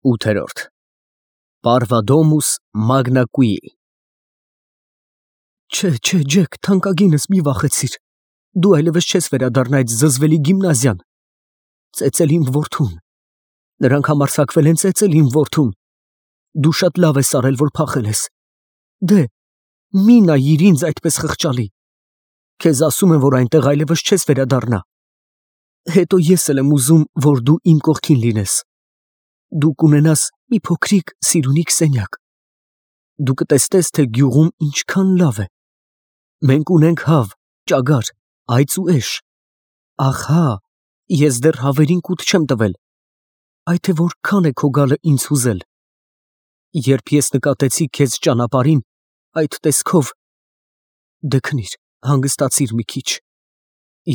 8 Parvadomus magna qui Չէ, Ջեք, թանկագինս մի վախեցիր, դու այլևս չես վերադառնա այդ զզվելի գիմնազիան, ծեծել իմ որդուն, նրանք համարձակվել են ծեծել իմ որդուն, դու շատ լավ ես արել, որ փախել ես, դե, մի նայիր ինձ այդպես խղճալի, քեզ ասում եմ, որ այնտեղ այլևս չես վերադառնա, հետո ես էլ եմ ուզում, որ դու իմ կողքին լինես, դու կունենաս մի փոքրիկ սիրունիկ սենյակ, դու կտեսնես, թե գյուղում ինչքան լավ է, մենք ունենք հավ, ճագար, այծ ու էշ, ահա, ես դեռ հավերին կուտ չեմ տվել, այդ է որքան է քո գալը ինձ հուզել, երբ ես նկատեցի քեզ ճանապարհին, այդ տեսքով, դե քնիր, հանգստացիր մի քիչ,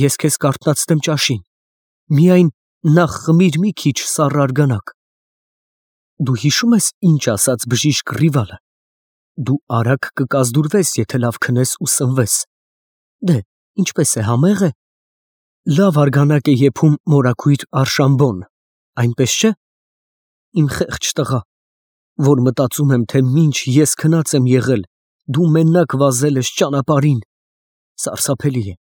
ես քեզ կարթնացնեմ ճաշին, միայն նախ խմիր մի քիչ սառը արգանակ, դու հիշում ես ինչ ասաց բժիշկ Ռիվալը, դու արագ կկազդուրվես, եթե լավ քնես ու սնվես, դե, ինչպես է, համեղ է, լավ արգանակ է եփում մորաքույր Արշամբոն, այնպես չէ, իմ խեղճ տղա, որ մտածում եմ, թե մինչ ես քնած եմ եղել, դու մենակ վազել ես ճանապարհին, սարսափելի է,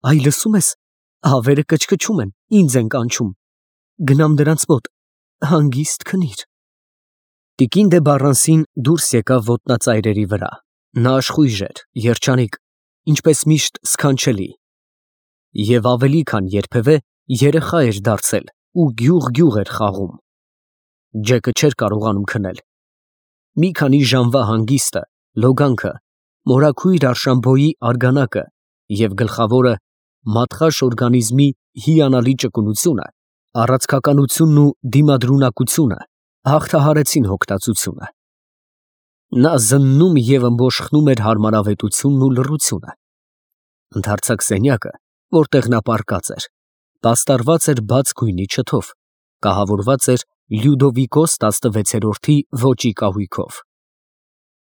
այ լսում ես, հավերը կչկչում են, ինձ են կանչում, գնամ դրանց մոտ, հանգիստ քնիր, Տիկին դե Բառանսին դուրս եկավ ոտնածայրերի վրա, նա աշխույժ էր, երջանիկ, ինչպես միշտ սքանչելի, և ավելի քան երբևէ երեխա էր դարձել ու գյուղ էր խաղում, Ջեկը չէր կարողանում քնել, մի քանի ժամվա հանգիստը, լոգանքը, մորաքույր Արշամբոյի արգանակը և գլխավորը մատխաշ օրգանիզմի հիանալի ճկունությունը, առաձգականությունն ու դիմադրունակությունը հաղթահարեցին հոգտածությունը, նա զննում և ըմբոշխնում էր հարմարավետությունն ու լռությունը, ընդարձակ սենյակը, որտեղ նա պառկած էր, պաստառված էր բաց գույնի չթով, կահավորված էր Լյուդովիկոս 16-րդի ոճի կահույքով,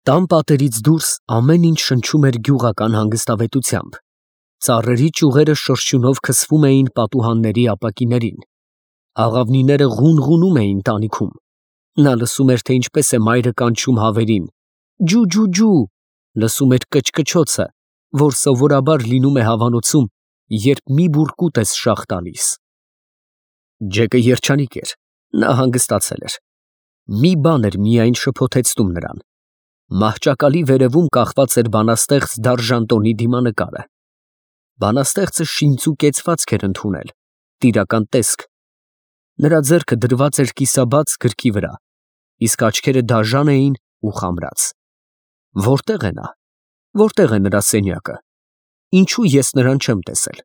տան պատերից դուրս ամեն ինչ շնչում էր գյուղական հանգստավետությամբ, ծառերի ճյուղերը շրշյունով քսվում էին պատուհանների ապակիներին, աղավնիները ղունղունում էին տանիքում, նա լսում էր, թե ինչպես է մայրը կանչում հավերին, ջու, լսում էր կչկչոցը, որ սովորաբար լինում է հավանոցում, երբ մի բուռ կուտ ես շաղ տալիս, Ջեկը երջանիկ էր, նա հանգստացել էր, մի բան էր միայն շփոթեցնում նրան, մահճակալի վերևում կախված էր բանաստեղծ Դարժանտոնի դիմանկարը, բանաստեղծը շինծու կեցվածք էր ընդունել, տիրական տեսք, նրա ձեռքը դրված էր կիսաբաց գրքի վրա, իսկ աչքերը դաժան էին ու խամրած, որտե՞ղ է նա, որտե՞ղ է նրա սենյակը, ինչու ես նրան չեմ տեսել,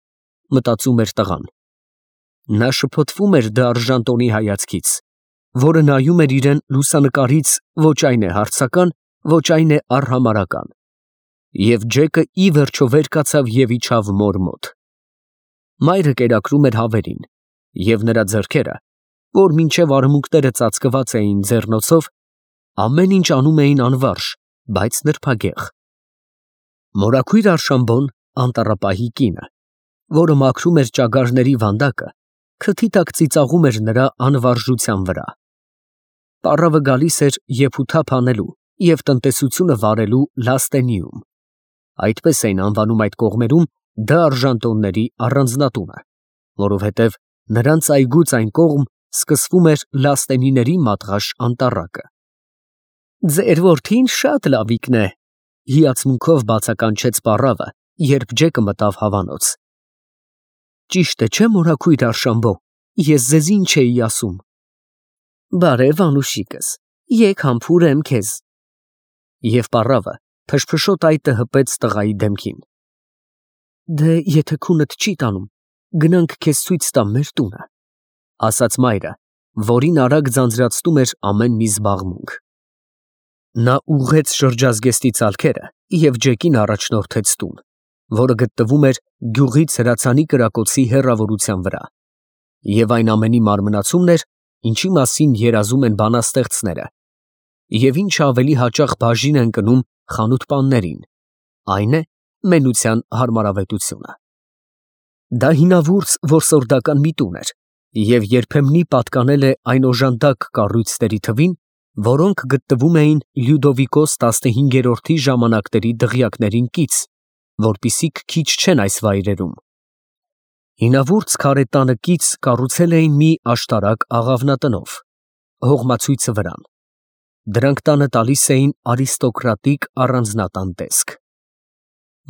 մտածում էր տղան, նա շփոթվում էր Դարժանտոնի հայացքից, որը նայում էր իրեն լուսանկարից ոչ այն է հարցական, ոչ այն է արհամարհական, և Ջեկը ի վերջո վեր կացավ և իջավ մոր մոտ, մայրը կերակրում էր հավերին, և նրա ձեռքերը, որ մինչև արմունկները ծածկված էին ձեռնոցով, ամեն ինչ անում էին անվարժ, բայց նրբագեղ, մորաքույր Արշամբոն, անտառապահի կինը, որը մաքրում էր ճագարների վանդակը, քթի տակ ծիծաղում էր նրա անվարժության վրա, պառավը գալիս էր եփութափ անելու և տնտեսությունը վարելու Լաստենիում, այդպես էին անվանում այդ կողմերում Դարժանտոնների առանձնատունը, որովհետև նրանց այգուց այն կողմ սկսվում էր Լաստենիների մատղաշ անտառակը, ձեր որդին շատ լավիկն է, հիացմունքով բացականչեց պառավը, երբ Ջեկը մտավ հավանոց, ճիշտ է չէ մորաքույր Արշամբո, ես ձեզ ինչ էի ասում, բարև անուշիկս, եկ համբուրեմ քեզ, և պառավը փշփշոտ այտը հպեց տղայի դեմքին, դե եթե քունդ չի տանում, գնանք քեզ ցույց տամ մեր տունը, ասաց մայրը, որին արագ ձանձրացնում էր ամեն մի զբաղմունք, նա ուղղեց շրջազգեստի ծալքերը և Ջեկին առաջնորդեց տուն, որը գտնվում էր գյուղից հրացանի կրակոցի հեռավորության վրա, և այն ամենի մարմնացումն էր, ինչի մասին երազում են բանաստեղծները, և ինչը ավելի հաճախ բաժին են կնում խանութպաններին, այն է մենության հարմարավետությունը, դա հինավուրց որսորդական մի տուն էր, և երբեմնի պատկանել է այն օժանդակ կառույցների թվին, որոնք գտնվում էին Լյուդովիկոս 15-րդի ժամանակների դղյակներին կից, որպիսիք քիչ չեն այս վայրերում։ Հինավուրց քարե տանը կից կառուցել էին մի աշտարակ աղավնատնով, հողմացույցը վրան։ Դրանք տանը տալիս էին արիստոկրատիկ առանձնատան տեսք։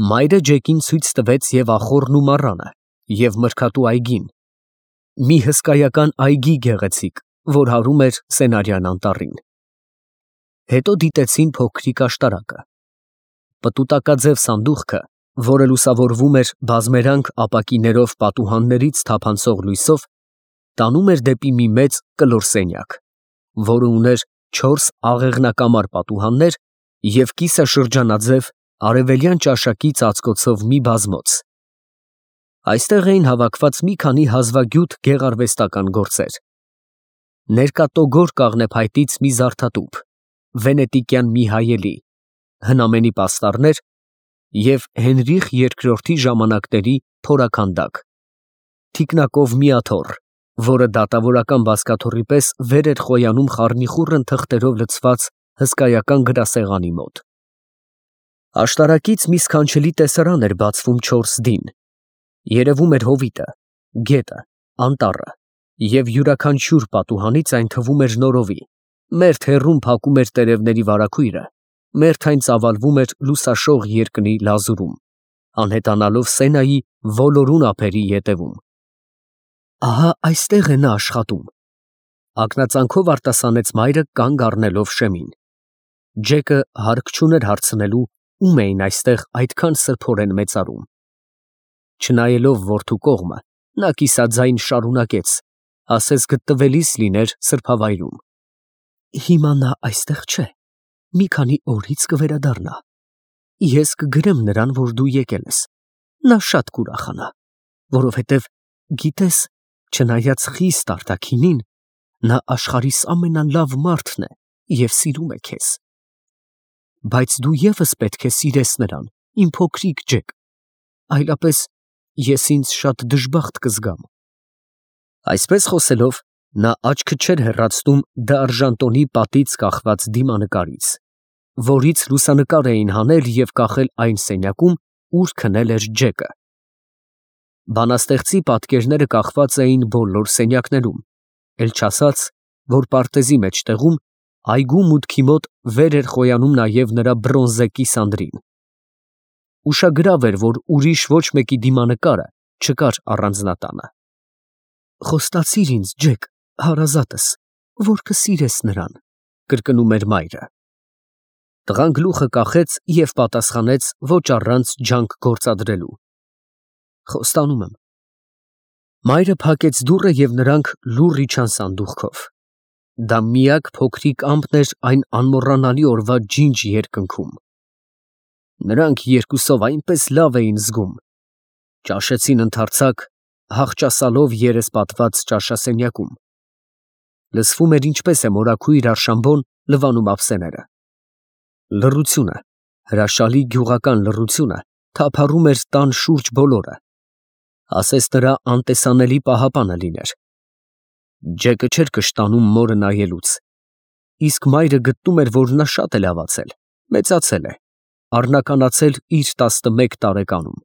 Մայրը Ջեկին ցույց տվեց և ախոռն ու մառանը, և մրգատու այգին, մի հսկայական այգի գեղեցիկ, որ հարում էր Սենարյան անտառին։ Հետո դիտեցին փոքրիկ աշտարակը։ Պտուտակաձև սանդուղքը, որը լուսավորվում էր բազմերանգ ապակիներով պատուհաններից թափանցող լույսով, տանում էր դեպի մի մեծ կլոր սենյակ, որը ուներ 4 աղեղնակամար պատուհաններ և կիսաշրջանաձև արևելյան ճաշակի ծածկոցով մի բազմոց։ Այստեղ էին հավաքված մի քանի հազվագյուտ գեղարվեստական գործեր. ներկա կաղնեփայտից մի զարդատուփ, վենետիկյան մի հայելի, հնամենի պաստառներ և Հենրիխ II ժամանակների փորաքանդակ, թիկնակով մի աթոռ, որը դատավորական բազկաթոռի պես վեր էր խոյանում խառնիխուռն թղթերով լցված հսկայական գրասեղանի մոտ։ Աշտարակից մի սքանչելի տեսարան էր բացվում 4 դին, երևում էր հովիտը, գետը, անտառը, և յուրաքանչյուր պատուհանից այն թվում էր նորովի, մերթ հեռուն փակում էր տերևների վարագույրը, մերթ այն ծավալվում էր լուսաշող երկնի լազուրում, անհետանալով Սենայի ոլորուն ափերի ետևում։ Ահա այստեղ է նա աշխատում, ակնածանքով արտասանեց մայրը կանգ առնելով շեմին։ Ջեկը հարկ չուներ հարցնելու, ում էին այստեղ այդքան սրբորեն մեծարում։ Չնայելով որդու կողմը, նա կիսաձայն շարունակեց, ասես գտնվելիս լիներ սրբավայրում. Հիմա նա այստեղ չէ, մի քանի օրից կվերադառնա։ Ես կգրեմ նրան, որ դու եկել ես, նա շատ կուրախանա, որովհետև գիտես, չնայած խիստ արտաքինին, նա աշխարհիս ամենալավ մարդն է և սիրում է քեզ։ Բայց դու ևս պետք է սիրես նրան, իմ փոքրիկ Ջեք, այլապես ես ինձ շատ դժբախտ կզգամ։ Այսպես խոսելով, նա աչքը չէր հեռացնում դարժանտոնի պատից կախված դիմանկարից, որից լուսանկար էին հանել և կախել այն սենյակում, ուր քնել էր Ջեկը։ Բանաստեղծի պատկերները կախված էին բոլոր սենյակներում, էլ չասած, որ պարտեզի մեջտեղում այգու մուտքի մոտ վեր էր խոյանում նաև նրա բրոնզե կիսանդրին։ Ուշագրավ էր, որ ուրիշ ոչ մեկի դիմանկարը չկար առանձնատանը։ Խոստացիր ինձ, Ջեք, հարազատս, որ կսիրես նրան, կրկնում էր մայրը։ Տղան գլուխը կախեց և պատասխանեց ոչ առանց ջանք գործադրելու. Խոստանում եմ։ Մայրը փակեց դուռը և նրանք լուռ իջան սանդուղքով։ Դա միակ փոքրիկ ամպն էր այն անմոռանալի օրվա ջինջ երկնքում։ Նրանք երկուսով այնպես լավ էին զգում, ճաշեցին ընդարձակ, հախճասալով երեսպատված ճաշասենյակում։ Լսվում էր ինչպես է մորաքույր Արշամբոն լվանում ափսեները։ Լռությունը, հրաշալի գյուղական լռությունը թափառում էր տան շուրջ բոլորը, ասես նրա անտեսանելի պահապանը լիներ։ Ջեկը չէր կշտանում մորը նայելուց, իսկ մայրը գտնում էր, որ նա շատ է լավացել, մեծացել է, առնականացել իր 11 տարեկանում։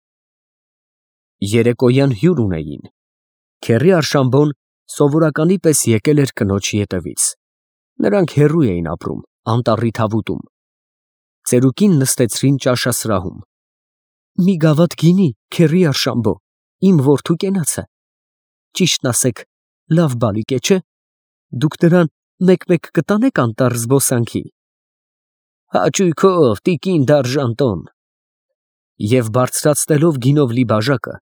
Երեկոյան հյուր ունեին։ Քեռի Արշամբոն սովորականի պես եկել էր կնոջ ետևից։ Նրանք հեռու էին ապրում, անտառի թավուտում։ Ծերուկին նստեցրին ճաշասրահում։ Մի գավաթ գինի, քեռի Արշամբո, իմ որդու կենացը։ Ճիշտն ասեք, լավ բալիկ է, չէ՞։ Դուք նրան մեկ-մեկ կտանեք անտառ զբոսանքի։ Հաճույքով, տիկին դարժանտոն։ Եվ բարձրացնելով գինով լի բաժակը,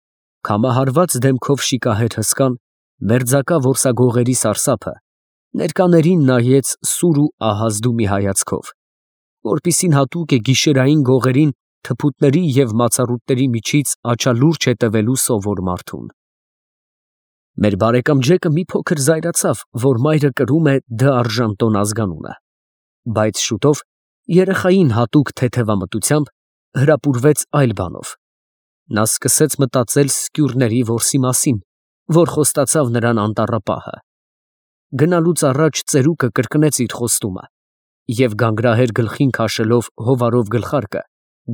քամահարված դեմքով շիկահեր հսկան, մերձակա որսագողերի սարսափը, ներկաներին նայեց սուր ու ահազդու մի հայացքով, որպիսին հատուկ է գիշերային գողերին թփուտների և մացառուտների միջից աչալուրջ հետևելու սովոր մարդուն։ Մեր բարեկամ Ջեկը մի փոքր զայրացավ, որ մայրը կրում է դ'Արժանտոն ազգանունը, բայց շուտով երեխային հատուկ թեթևամտությամբ հրապուրվեց այլ բանով։ Նա սկսեց մտածել սկյուրների որսի մասին, որ խոստացավ նրան անտառապահը։ Գնալուց առաջ ծերուկը կրկնեց իր խոստումը և գանգրահեր գլխին քաշելով հովարով գլխարկը,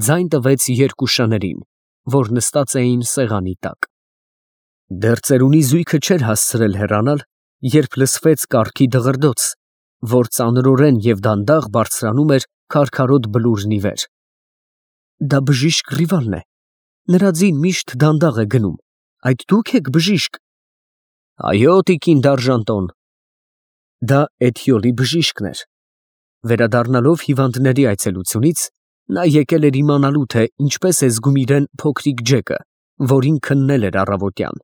ձայն տվեց երկու շներին, որ նստած էին սեղանի տակ։ Դեռ ծերունի զույգը չէր հասցրել հեռանալ, երբ լսվեց կառքի դղրդոց, որ ծանրորեն և դանդաղ բարձրանում էր քարքարոտ բլուրն ի վեր։ Դա բժիշկ Ռիվալն է, նրա ձին միշտ դանդաղ է գնում, այդ դուք եք բժիշկ։ Այո, տիկին Դարժանտոն։ Դա Էթիոլի բժիշկն էր։ Վերադառնալով հիվանդների այցելությունից, նա եկել էր իմանալու, թե ինչպես է զգում իրեն փոքրիկ Ջեկը, որին քննել էր առավոտյան։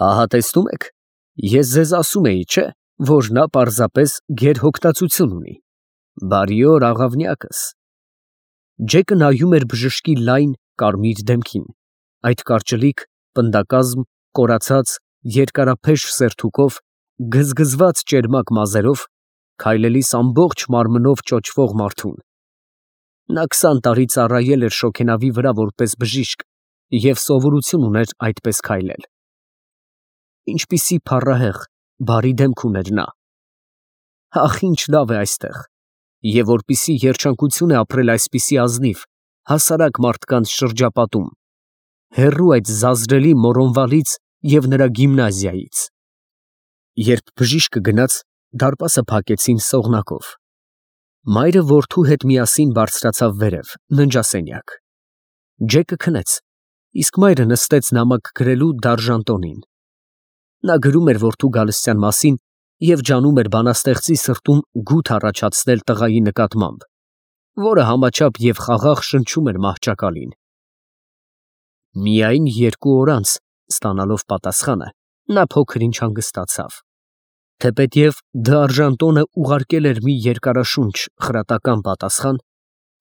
Ահա տեսնում եք, ես ձեզ ասում էի, չէ՞, որ նա պարզապես գերհոգտածություն ունի։ Բարի օր, աղավնյակս։ Ջեկը նայում էր բժշկի լայն, կարմիր դեմքին, այդ կարճլիկ, պնդակազմ, կորացած, երկարափեշ սերթուկով, գզգզված ճերմակ մազերով, քայլելիս ամբողջ մարմնով ճոճվող մարդուն։ Նա 20 տարի ծառայել էր շոգենավի վրա որպես բժիշկ և սովորություն ուներ այդպես քայլել։ Ինչպիսի փառահեղ, բարի դեմք ուներ նա։ Ախ, ինչ լավ է այստեղ, և որպիսի երջանկություն է ապրել այսպիսի ազնիվ, հասարակ մարդկանց շրջապատում, հեռու այդ զազրելի Մորոնվալից և նրա գիմնազիայից։ Երբ բժիշկը գնաց, դարպասը փակեցին սողնակով։ Մայրը որդու հետ միասին բարձրացավ վերև, ննջասենյակ։ Ջեկը քնեց, իսկ մայրը նստեց նամակ գրելու Դարժանտոնին։ Նա գրում էր որդու գալստյան մասին և ջանում էր բանաստեղծի սրտում գութ առաջացնել տղայի նկատմամբ, որը համաչափ և խաղաղ շնչում էր մահճակալին։ Միայն 2 օր անց, ստանալով պատասխանը, նա փոքր-ինչ հանգստացավ։ Թեպետև Դ'Արժանտոնը ուղարկել էր մի երկարաշունչ խրատական պատասխան,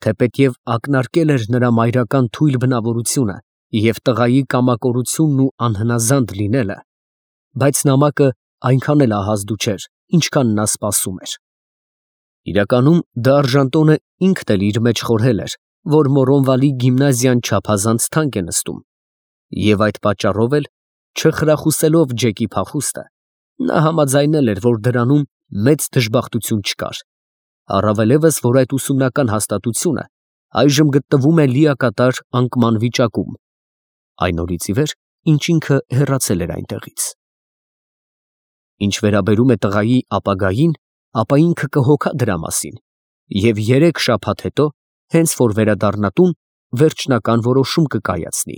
թեպետև ակնարկել էր նրա մայրական թույլ բնավորությունը և տղայի կամակորությունն ու անհնազանդ լինելը, բայց նամակը այնքան էլ ահազդու չէր, ինչքան նա սպասում էր։ Իրականում Դ'Արժանտոնը ինքն էլ իր մեջ խորհել էր, որ Մորոնվալի գիմնազիան չափազանց թանկ է նստում, և այդ պատճառով էլ, չխրախուսելով Ջեկի փախուստը, նա համաձայնել էր, որ դրանում մեծ դժբախտություն չկար, առավելևս, որ այդ ուսումնական հաստատությունը այժմ գտնվում է լիակատար անկման վիճակում, այն օրից ի վեր, ինչ ինքը հեռացել էր այնտեղից։ Ինչ վերաբերում է տղայի ապագային, ապա ինքը կհոգա դրա մասին և 3 շաբաթ հետո, հենց որ վերադառնա տուն, վերջնական որոշում կկայացնի։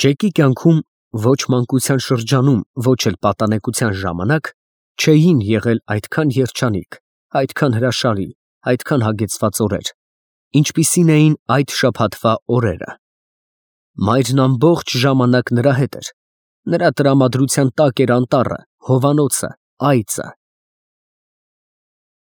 Ջեկի կյանքում ոչ մանկության շրջանում, ոչ էլ պատանեկության ժամանակ չէին եղել այդքան երջանիկ, այդքան հրաշալի, այդքան հագեցված օրեր, ինչպիսին էին այդ շաբաթվա օրերը։ Մայրն ամբողջ ժամանակ նրա հետ էր, նրա տրամադրության տակ էր անտառը, հովանոցը, այծը,